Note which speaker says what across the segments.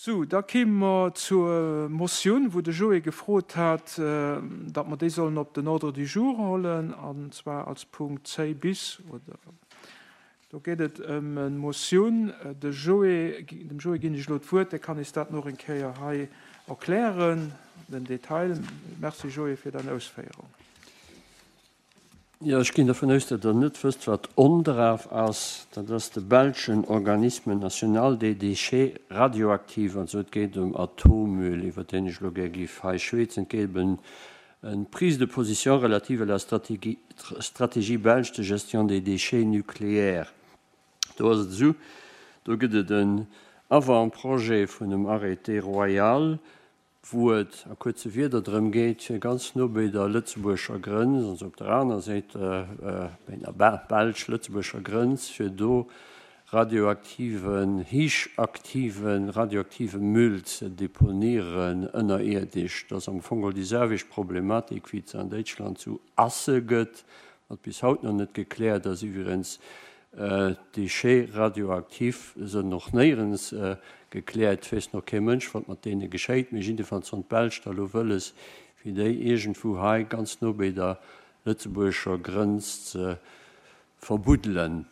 Speaker 1: Sou, da kéime mer zur Motioun, wou de Joé gefrot hat, datt mer déi sollen op den Ordre du jour hollen, an zwar als Punkt 10 bis, oder do geet et ëm eng Motioun. De Joé, dem Joé ginn ech elo d'Wuert, dee kann eis dat nach eng Kéier hei erklären, den Detail. Merci Joé fir däin Ausféierung.
Speaker 2: Jo, ech ginn dervun aus, datt Der net wësst, wat ONDRAF ass. Dat ass de belschen Organisme national des déchets radioactifs. Also et geet ëm Atommüll, iwwer deen ech elo gär géif hei schwätzen. Et geet ëm eng Prise de position relative à la stratégie belge de gestion des déchets nucléaires. Do ass et esou, do gëtt et en Avant-projet vun em Arrêté royal, wou et a kuerze Wierder drëm geet, fir ganz no béi der lëtzebuergescher Grënz, also op der aner Séit, béi der belsch-lëtzebuergescher Grënz, fir do radioaktiven, héichaktive radioaktive Müll ze deponieren ënnerierdesch. Dat ass am Fong geholl déi selwecht Problematik, wéi et se an Déitschland zu Asse gëtt, wat bis haut nach net gekläert ass iwwregens. Déchets radioactifs sënn och néierens gekläert. Et weess nach kee Mënsch, wat mat deene geschéit. Mee jiddefalls hunn d'Belsch da lo wëlles, fir déi iergendwou hei ganz no béi der lëtzebuergescher Grënz ze verbuddelen.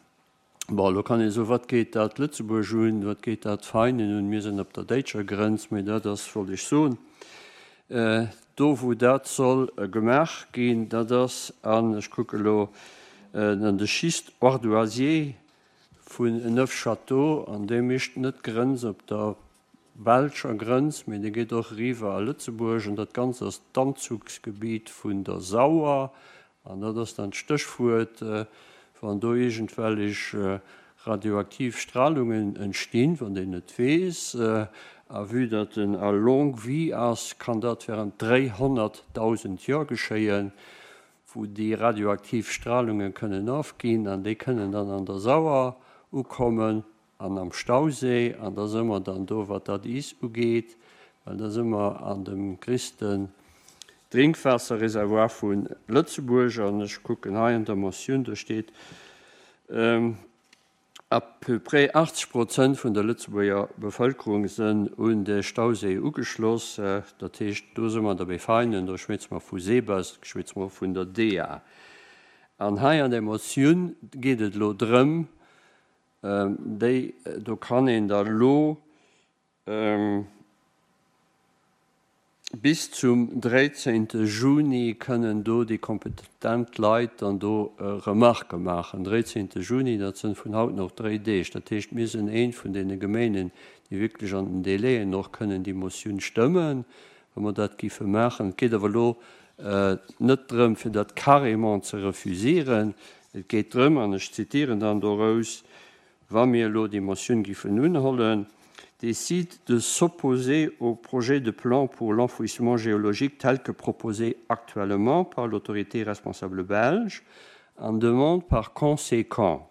Speaker 2: Bon, elo kann ee soen, wat geet dat Lëtzebuerg un, wat geet dat Veinen un, mir sinn op der déitscher Grënz. Mee dat ass, wollt ech soen, Do wou dat soll gemaach ginn, dat ass, an ech kucke elo an de Schiste ardoisier vun Neufchâteau, an dee mécht net d'Grënz op der belscher Grënz, mee dee geet och eriwwer a Lëtzebuerg, an dat Ganzt ass d'Anzugsgebiet vun der Sauer, An dat ass dann d'Stéchwuert, wann do iergendwellech radioaktiv Stralungen entstinn, wann een et weess, a vue datt en à longue vie ass, kann dat während 300.000 Joer geschéien, wou déi radioaktiv Stralunge kënnen ofginn an déi kënnen dann an der Sauer ukommen. An am Stauséi, an da së mer dann do, wat dat is ugeet, well da së mer an dem gréissten Drénkwaasserreservoir vu Lëtzebuerg. An ech kucken hei an der Motioun, do steet, à peu près 80 Prozent vun der Lëtzebuerger Bevëlkerung sënn un de Stauséi ugeschloss. Dat heescht, do së mer da bei Veinen, do schwätze mer vu Sebes, schwätze mer vun der DEA. An hei an där Motioun geet et elo drëm, Déi do kann een da lo bis zum 13 Juni kënnen do déi kompetent Leit dann do Remarquë maachen. 13 Juni, dat sënn vun haut nach dréi Deeg. Dat heescht, mir sinn eent vun deene Geméinen, déi wierklech an den Délaiën och kënnen déi Motioun stëmmen, wa mer dat géife maachen. Et geet awer elo net drëm, fir dat carrément ze refusieren. Et geet drëm, an ech zitieren dann dorous, wa mir elo déi Motioun giffen unhollen, décide de s'opposer au projet de plan pour l'enfouissement géologique tel que proposé actuellement par l'autorité responsable belge an demande par conséquent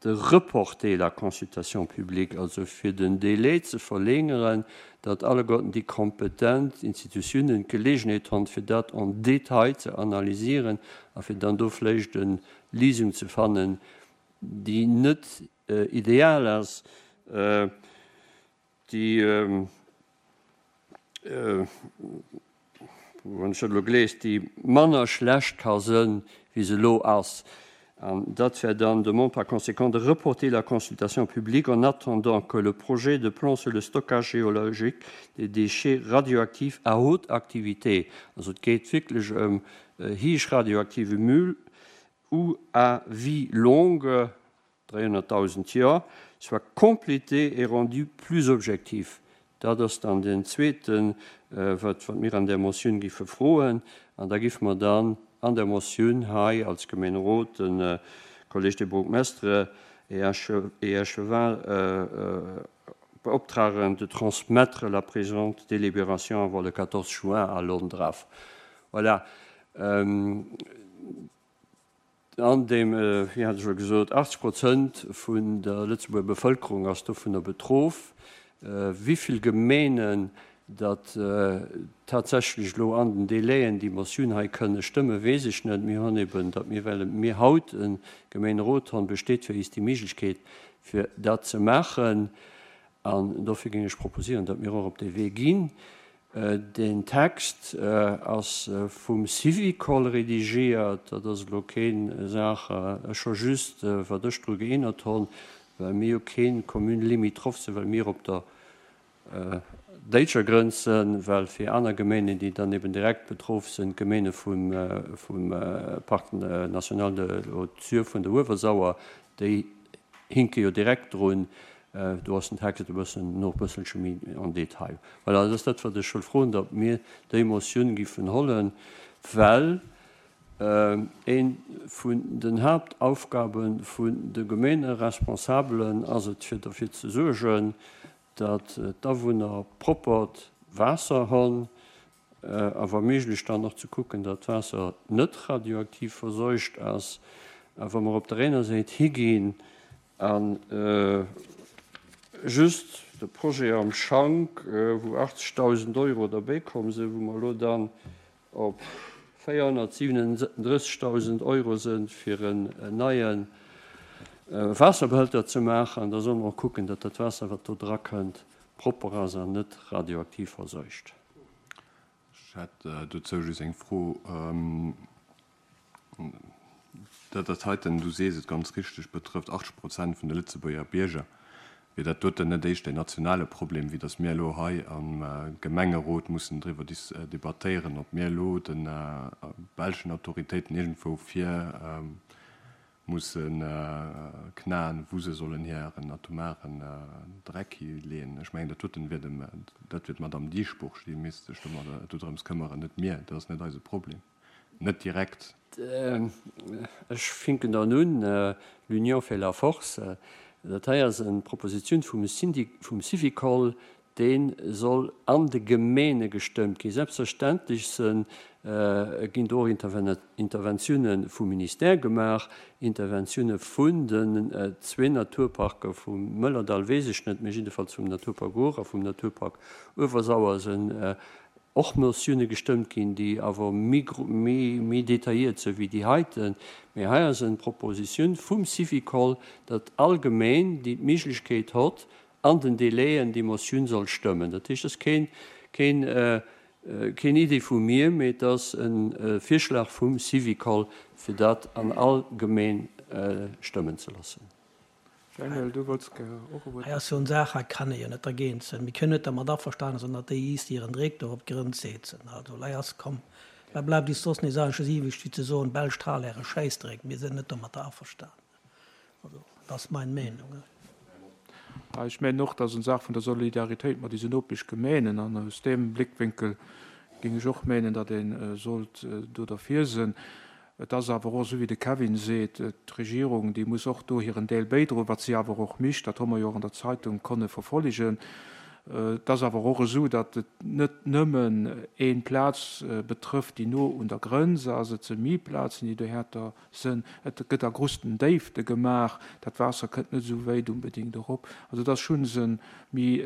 Speaker 2: de reporter la consultation publique, also fir den Délai ze verlängeren, datt alleguerten déi kompetent Institutiounen d'Gelegenheet honn, fir dat en détail ze analysieren a fir dann do vläicht e Lisung ze fannen, déi net ideal ass, déi, wann ech dat elo glees, déi manner schlecht ka sënn, wéi se elo ass. An dat wär dann, demande par conséquent de reporter la consultation publique en attendant que le projet de plan sur le stockage géologique des déchets radioactifs à haute activité, also et geet wierklech ëm héich radioaktive Müll, ou à vie longue, 300.000 Joer, soit complété et rendu plus objectif. Dat ass dann deen zweeten, wat mir an där Motioun géife froen. An da géife mer dann an der Motioun hei als Gemeenerot de Collège des bourgmestres et échevins beoptragen, de transmettre la présente délibération avant le 14 juin à l'ONDRAF. Voilà. An deem, wéi hat ech scho gesot, 80 Prozent vun der Lëtzebuerger Bevëlkerung ass dovunner betroff. Wéi vill Gemeenen datt tatsächlech elo an den Délaiën déi Motioun hei kënne stëmmen, weess ech net. Mir hunn eben, datt mir, well mir haut e Gemeenerot hunn, besteet fir eis déi Méiglechkeet, fir dat ze maachen. An dofir géing ech proposieren, datt mir och op dee Wee ginn. Deen Text ass vum Syvicol redigiert. Dat ass elo keen Saach, ech hu just, wat ech dru geännert honn, well mir jo keen Commune limitrophe sinn, well mir op der déitscher Grënz sinn, well fir aner Geméinen, déi dann eben direkt betroff sinn, d'Geméine vum Parc national de Haute Sûre vun der Uewersauer, déi hinke jo direkt drun. Do ass den Text e bëssen nach e bësselche méi en détail. Voilà, dat ass dat, wat ech wëll froen, datt mir déi Motioun giffen hollen, well ee vun den Haaptaufgabe vun de Gemeeneresponsabelen ass et, fir derfir ze suergen, datt d'Awunner proppert Waasser honn, a wa méiglech dann och ze kucken, datt d'Waasser net radioaktiv verseucht ass. A wa mer op der ener Säit higinn a just de Projet am Schank, wou 80.000 Euro derbäikomm sinn, wou mer elo dann op 437.000 Euro sinn, fir en neie Waasserbehälter ze maachen, da solle mer och kucken, datt dat Waasser, wat do drakënnt, propper ass an net radioaktiv verseucht.
Speaker 3: Ech hätt dozou just eng Fro. Dat dat heiten, du sees et ganz richteg, betrëfft 80 Prozent vun de Lëtzebuerger Bierger. Wier dat doten net éischter een nationale Problem, wéi datt mir elo hei am Gemengerot mussen driwwer debattéieren, ob mir elo de belschen Autoritéiten iergendwou vir musse knaen, wou se sollen hiren atomaren Dreck hileeën? Ech mengen, dat doten wier dem, dat wier d'Madame Dieschbourg, déi misst sech domadder, dodrëms këmmeren, net mir. Dat ass net eise Problem. Net direkt.
Speaker 2: Ech finken dann un, L'union fait la force. Dat hei ass eng Proposition vum Syndic, vum Syvicol, dee soll an de Gemeene gestëmmt ginn. Selbstverständlech se ginn do och Interventiounen vum Ministère gemaach, Interventiounen vun den zwee Naturparker, vum Mëllerdall weess ech net, mä jiddefalls vum Naturpark Our a vum Naturpark Uewersauer sinn och Motioune gestëmmt ginn, déi awer méi detailliert sinn wéi déi heiten. Mee hei ass eng Proposition vum Syvicol, datt all Gemeen, déi d'Méiglechkeet hott, an den Délaiën déi Motioun soll stëmmen. Dat heescht, et ass keen, keen, keen Idee vu mir, mee et ass e Virschlag vum Syvicol, fir dat an all Gemeen stëmmen ze loossen.
Speaker 1: Daniel, du wollts gär och e Wuert.
Speaker 4: Hei ass jo en Saach, hei kann ee jo net dergéint sinn. Mir kënnen net dermat averstanen sinn, datt déi iis hiren Dreck do op d'Grënz seetzen. Also lei ass komm, wat bleift is soss nees eigentlech iwwreg wéi ze soen, Belsch Tralär, e Schäissdreck, mir sinn net domatter averstanen. Also dat ass mein Meenung.
Speaker 1: Ech mengen och, dat ass en Saach vun der Solidaritéit mat ise Nopeschgemeenen an aus deem Blickwénkel géing ech och menen, datt ee sollt do derfir sinn. Et ass awer och esou, wéi de Kevin seet, d'Regierung, déi muss och do hiren Deel bäidroen, wat si awer och micht, dat hu mer jo och an der Zeitung konne verfollegen. Et ass awer och esou, datt et net nëmmen een Plaz betrëfft, déi no un der Grënz ass, et si méi Plazen, déi dohärter sënn. Et gëtt a grusten Déifte gemaach, dat Waasser kënnt net esou wéit unbedingt erop. Also et ass schonns e méi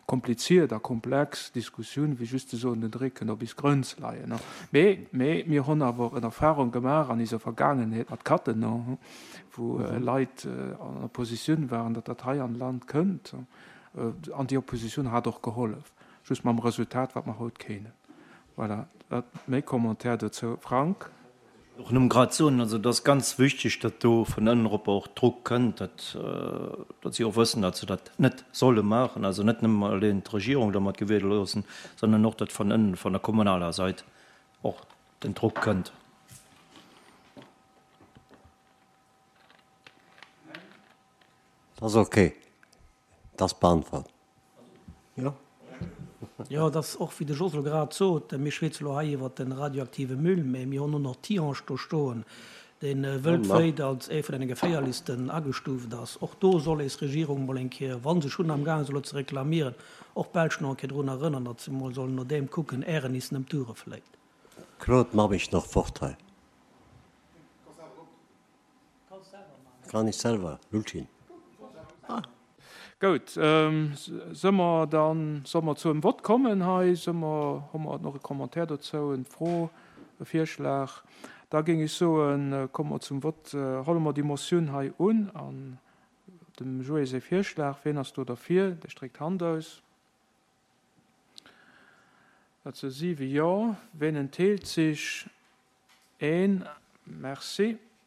Speaker 1: kompliziert a komplex Diskussioun, wéi just ze soen, den Dréck kënnt op is Grënz leien. Mee, mee mir honn awer en Erfahrung gemaach an iser Vergaangenheet mat Cattenom, wou Leit an Oppositioun waren, datt dat hei an Land kënnt. An déi Oppositioun hat och gehollef, just mam Resultat, wat mer haut keenen. Voilà, dat méi Commentaire dozou. Frank.
Speaker 5: Och nëmme grad soen, also et ass ganz wichteg, datt do vun ënnen erop och Druck kënnt, datt, datt si och wëssen, datt se dat net solle maachen, also net nëmme eleng d'Regierung domat gewiede loossen, sondern och, datt vun ënnen, vun der kommunaler Sait och den Druck kënnt.
Speaker 2: Dat ass ok. Dat ass beantwort.
Speaker 4: Jo. Jo, et ass och, wéi de Jos elo grad sot, mir schwätze elo hei iwwert de radioaktive Müll, mä mir hunn och nach Tihange do stoen, dee wëltwéit als ee vun deene geféierlichsten agestuuft ass. Och do soll eis Regierung mol eng Kéier, wa se schonn amgaange ass elo ze reklamieren, och d'Belsch nach eng Kéier drun erënnern, datt se mol sollen no deem kucken, ären is nëmmt d'Ure fléit.
Speaker 2: Claude, mach mech nach fort hei. Kann ech selwer, Lulchin.
Speaker 1: Goud, se mer dann, solle mer zu em Vott kommen hei? Se mer, hu mer nach e Commentaire dozou, en Fro, e Virschlag? Da géing ech soen, komme mer zum Vott, holle mer déi Motioun hei un an. Dem Joé säi Virschlag. Wien ass do derfir? Dee stréckt d'Hand aus. Dat si siwe Jo. Wien entheelt sech? Een. Merci.